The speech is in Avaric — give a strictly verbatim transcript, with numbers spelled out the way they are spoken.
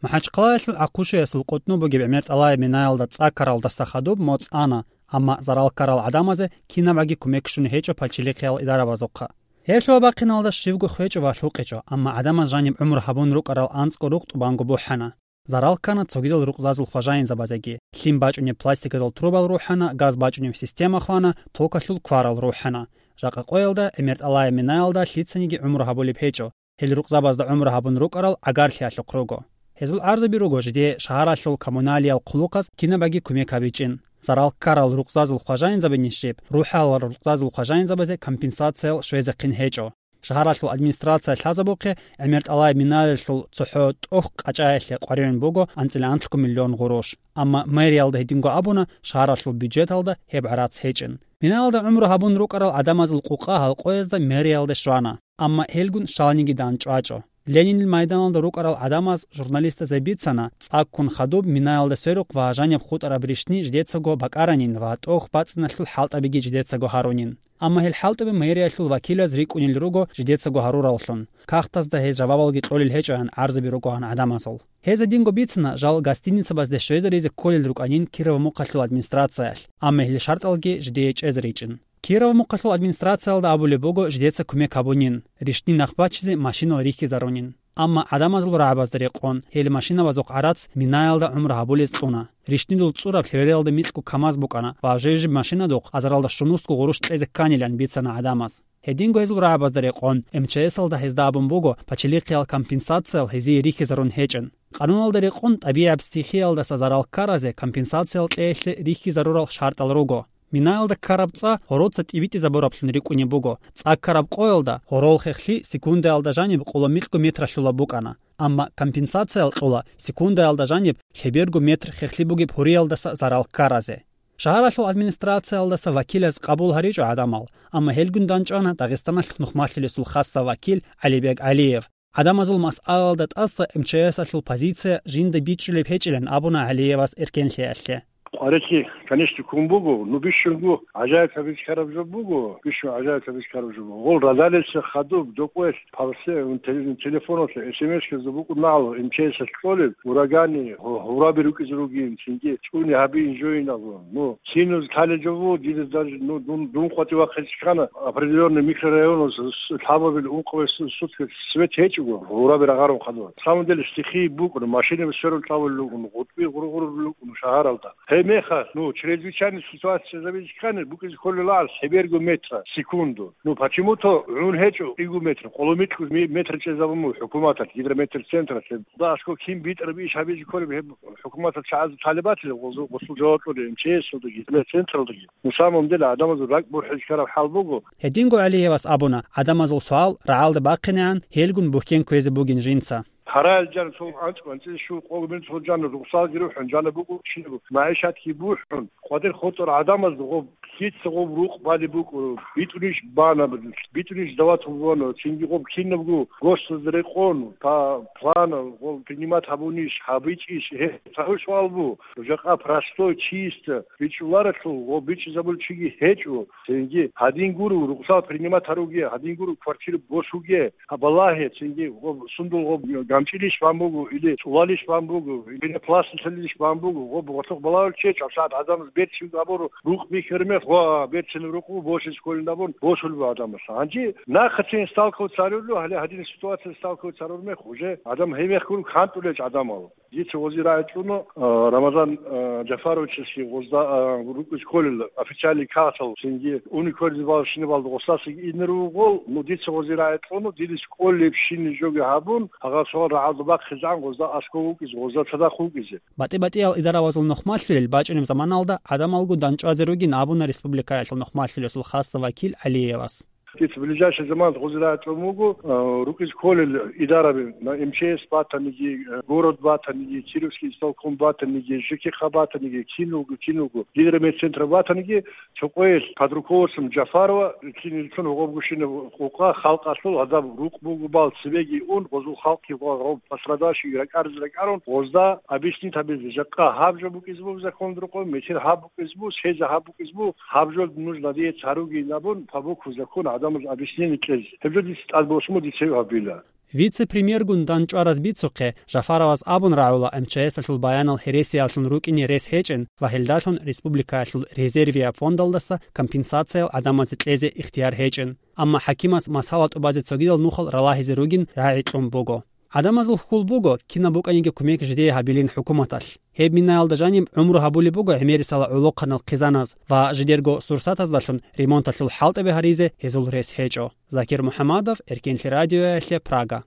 МахӀачхъалаялъул ГӀахъушиясул къутӀну бугеб ГӀемер ТӀалаяб минаялда цӀа ккаралдаса хадуб моцӀ ана, амма зарал ккарал гӀадамазе кинабаги кумек щун гьечӀо пачалихъиял идарабазухъа. Гьеб лъугьа-бахъиналда щивго хвечӀо ва лъукъичӀо, амма гӀадамаз жаниб гӀумру гьабун рукӀарал анцӀго рукъ тӀубанго бухӀана. Зарал ккана цогидал рукъзазул хважаинзабазеги. Лъим бачӀунеб пластиковал турбал рухӀана, газ бачӀунеб система хвана, токалъул кварал рухӀана. Жакъа къоялда, ГӀемер ТӀалаяб минаялда лъицаниги гӀумру гьабулеб гьечӀо. Гьел рукъзабазда гӀумру гьабун рукӀарал гӀагарлъиялъухъ руго. Гьезул гӀарзаби руго жидее шагьаралъул коммуналиял хъулухъаз кинабаги кумек гьабичӀин. Зарал ккарал рукъзазул хважаинзабанищ жиб, рухӀалал рукъзазул хважаинзабазе компенсациял щвезехъин гьечӀо. Шагьаралъул администрация лъазабухъе, ГӀемер ТӀалаяб минаялъул цохӀо тӀохь къачӀаялъе къваригӀун буго анцӀила анлъго миллион гъурущ. Амма мэриялда гьединго абуна, шагьаралъул бюджеталда гьеб гӀарац гьечӀин. Минаялда гӀумру гьабун рукӀарал гӀадамазул къукъа гьал къоязда мэриялде щвана, амма гьелгун щаланиги дандчӀвачӀо. Ленинил майданалда рукӀарал гӀадамаз журналистазе бицана, цӀаккун хадуб минаялда сверухъ ва жаниб хутӀараб рищни жидецаго бакӀаранин ва тӀохь бацӀцӀиналъул хӀалтӀабиги жидецаго гьарунин. Амма гьел хӀалтӀаби мэриялъул вакилаз рикӀкӀунел руго жидецаго гьарураллъун. Кагътазда гьез жавабалги кьолел гьечӀоян гӀарзаби ругоан гӀадамазул. Гьез гьединго бицана, жал гостиницабазде щвезаризе кколел рукӀанин Кирово-Мухъалъул администрациялъ, амма гьел шартӀалги жидее чӀезаричӀин. Кирово-Мухъалъул администрациялда абулеб буго жидеца кумек гьабунин, рищни нахъ бачизе машинал рихьизарунин. Амма гӀадамазул рагӀабазда рекъон, гьел машинабазухъ гӀарац минаялда гӀумру гьабулез кьуна. Рищнидул цӀураб лъебериялда микьго КамАЗ букӀана ва жив-жиб машинадухъ азаралда щунусго гъурущ кьезе кканилан бицана гӀадамаз. Гьединго гьезул рагӀабазда рекъон, МЧС-алда гьезда абун буго, пачалихъиял компенсациял гьезие рихьизарун гьечӀин. Къануналда рекъон, тӀабигӀаб стихиялдаса зарал ккаразе компенсациял кьеялъе рихьизарурал шартӀал руго. Минаялда ккараб цӀа гьороца тӀибитӀизабураблъун рикӀкӀунеб буго. ЦӀа ккараб къоялда гьорол хехлъи секундаялда жаниб къоло микьго метралъула букӀана. Амма компенсациял кьола секундаялда жаниб лъеберго метр хехлъи бугеб гьуриялдаса зарал ккаразе. Шагьаралъул администрациялдаса вакилаз къабул гьаричӀо гӀадамал, амма гьелгун дандчӀвана Дагъистаналъ нухмалъулесул хасса вакил ГӀалибег ГӀалиев. ГӀадамазул масъалалда тӀаса МЧС-алъул позиция жинда бичӀчӀулеб гьечӀилан абуна ГӀалиевас эркенлъиялъе. Къварилъи, конечно, ккун буго, ну, бищунго гӀажаиблъи бихьараб жо буго, бищун гӀажаиблъи бихьараб жо буго. Гъол радалица хадуб, докъоялъ, палсе-, теле-, телефоналъе, эс эм эс-язда букӀунагӀлу МЧС-алъ кьолеб, урагани, гьу-, гьураби рукӀизе ругин, цинги чӀуни гьабиин жойин абун. Ну, киназ лъалел жо буго, дида даже, ну, дун, дун къватӀив вахъизе ккана, определённый микрорайонал с-, с-, лъабабил ункъабилеб су-, сутка свет гьечӀого, гьураби рагъарун хадур. На самом деле, стихии букӀун, машинаби сверун кьабулел рукӀун, гъутӀби гъургъурулел рукӀун шагьаралда. Гьеб мехалъ, ну, чрезвычайный ситуация зависит ккани, букӀизе кколелаан лъеберго метра секунду. Ну, почему-то гӀун гьечӀо кӀиго метр, къоло микьго ме-, метр чӀезабун буго хӀукуматалъ, гидрометцентралъ. Да, аскӀо кин битӀараб иш гьабизе кколеб гьеб хӀукуматалъ чагӀазда талибатилан гъосул, гъосул жаваб кьолеб МЧС-алдаги, гидрометцентралдаги. Ну, самом деле, гӀадамазул ракӀ бухӀизе ккараб хӀал буго. Гьединго ГӀалиевас абуна, гӀадамазул суал рагӀалда бахъинегӀан, гьелгун бухьен кквезе бугин жинца. Гьараял жан цо анцӀ-, анцӀила щул къого мин цо жан рукъсалги рухӀун, жана букӀун, кинаб магӀишатги бухӀун, къватӀир хутӀарал гӀадамазда гъоб лъица гъоб рукъ балеб букӀун, битӀунищ бана, битӀунищ дават гьабуна, цинги гъоб кинабго госдазда рекъон, та план гъоб принимать гьабунищ, гьабичӀищ, гьеб цӀакъ суал буго. Жакъа простой, чисто бичӀчӀуларелъул гъоб бичӀчӀизабулев чиги гьечӀо. Цинги гьадин гуро рукъсал принимать гьаруге, гьадин гуро квартира босуге. Гьаб балагье, цинги гъоб сундул гъоб гамчӀилищ бан буго, или цӀулалищ бан буго, или пенопlastilинищ бан буго, гъоб гъорлъухъ балагьулев чи, гьабсагӀат гӀадамаз берцин абур рукъ бихьараб мех, ва берцинаб рукъ бу, босизе кколин абун, босулеб гӀадамас. Гьанже нахъацин сталкиваться гьарулев, гьале гьадин ситуация сталкиваться гьарураб мех, уже гӀадам гьеб мехалъ гуро кантӀулел гӀадамал. Дица гъози рагӀи кьуна, а, Рамазан, а, Жафаровичасги гъозда, а, рукӀизе кколел официальный кагътал, цинги уни кколел бал шинабалда гъосасаги инер вугъол, ну, дица гъози рагӀи кьуна, дидес кӀолебщинаб жоги гьабун, гьагъа суал рагӀалда бахъизегӀан гъозда аскӀов вукӀизе, гъозда цадахъ вукӀизе. БатӀи-батӀиял идарабазул нухмалъулел бачӀунеб заманалда гӀадамалгун дандчӀвазе ругин абуна республикаялъул нухмалъулесул хасса вакил ГӀалиевас. Дица ближайший заманалда гъози рагӀи кьун буго, а, рукӀизе кколел идараби, на, МЧС батаниги, а, город батаниги, Кировский исполком батаниги, ЖКХ батаниги, киналго, киналго, гидрометцентр батаниги, цо къоялъ под руководством Джафарова, киналго гъобгушина къокъа халкъалъул гьадаб рукъ буго бал цебеги ун, гъозул халкъги ва гъоб пострадавший ракӀарзе ракӀарун, гъозда объяснить гьабизе, жакъа гьаб жо букӀизе буго закон рукъо, метер гьаб букӀизе буго, сез гьаб букӀизе буго, гьаб жо нужно диец гьаругин абун, по букву закона гӀадамаз объяснение кьезе. Гьеб жо дица тӀад босун буго, дица гьеб гьабила. Вице-премьергун данчӀвараз бицухъе, Жафаровас абун рагӀула, МЧС-алъул баянал гьересияллъун рукӀине рес гьечӀин ва гьелдалъун республикаялъул резервияб фондалдаса компенсациял гӀадамазе кьезе ихтияр гьечӀин. Амма хӀакимас масала тӀубазе цогидал нухал ралагьизе ругин рагӀи кьун буго. ГӀадамазул хьул буго, кинаб букӀаниги кумек жидее гьабилин хӀукуматалъ. Гьеб минаялда жаниб гӀумру гьабулеб буго гӀемерисела гӀолохъанал хъизаназ ва жидерго сурсатаздалъун ремонталъул хӀалтӀаби гьаризе гьезул рес гьечӀо. Закир МухӀамадов, Эркенлъи радиоялъе, Прага.